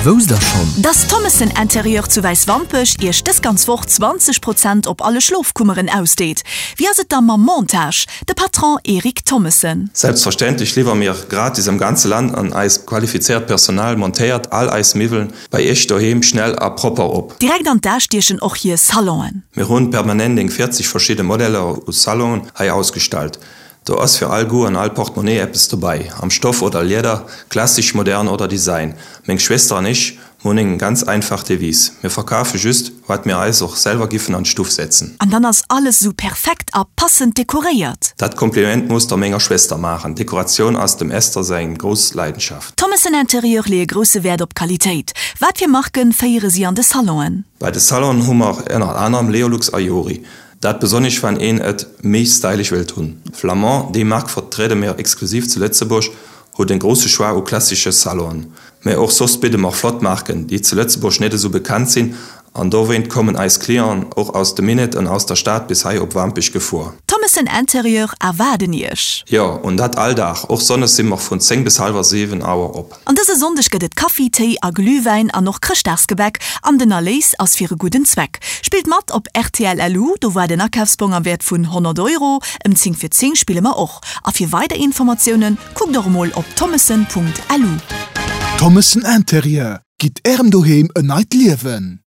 Wousst der schonn? Dass Thommessen Interieur zu Wäiswampech Iech dës ganz Woch 20 Prozent op alle Schlofkummeren ausdeet? Wéi ass et da mam Montage? De Patron Eric Thommessen. Selbstverständlech liwwer mir gratis am ganze Land an eist qualifizéiert Personal montéiert all eis Miwweln bei Iech doheem schnell a propper op. Direkt an d'A stiechen och hir Salonen. Mir hunn permanent eng 40 verschidde Modeller u Salonen hei ausgestallt. Do ass fir all Goût an all Portemonnaie eppes dobei, am Stoff oder Lieder, klassisch, modern oder Design. Meng Schwester an ech hunn eng ganz einfach Devise, Mir verkafe just, wat mir eis och selwer giffen an d'Stuff setzen. An dann ass alles esou perfekt a passend dekoréiert. Dat Kompliment muss der menger Schwester maachen, Dekoratioun ass dem Esther seng grouss Leidenschaft. Thommessen Interieur leeë grousse Wäert op Qualitéit. Wat fir Marken féiere si an de Salonen? Bei de Salonen hu mer ënner anerem Leolux a Jori. Dat besonnesch wann een et méi stylish wëllt hunn. Flamand, déi Mark vertriede mir exklusiv zu Lëtzebuerg, huet en grousse Choix u klassesche Salonen. Mä och soss bidde mer flott Marken, déi zu Lëtzebuerg net esou bekannt sinn an dowéint kommen eis Clienten och aus dem Minett an aus der Stad bis hei op Wampech gefuer. Thommessen Interieur erwaarden Iech! Jo, an dat all Dag, och Sonndes si mer vun 10 bis hallwer 7 Auer op. An dëse Sonndeg gëtt et Kaffi, Téi a Glühwäin an och Chrëschtdagsgebäck an den Erléis ass fir e gudden Zweck. Spillt mat op rtl LU, do waart en Akafsbong am Wäert vun 100 Euro. Ëm 10 vir 10 spille mer och. A fir weider Informatiounen kuckt och emol op thommessen.lu. Thommessen Interieur, gitt Ärem Doheem en neit Liewen!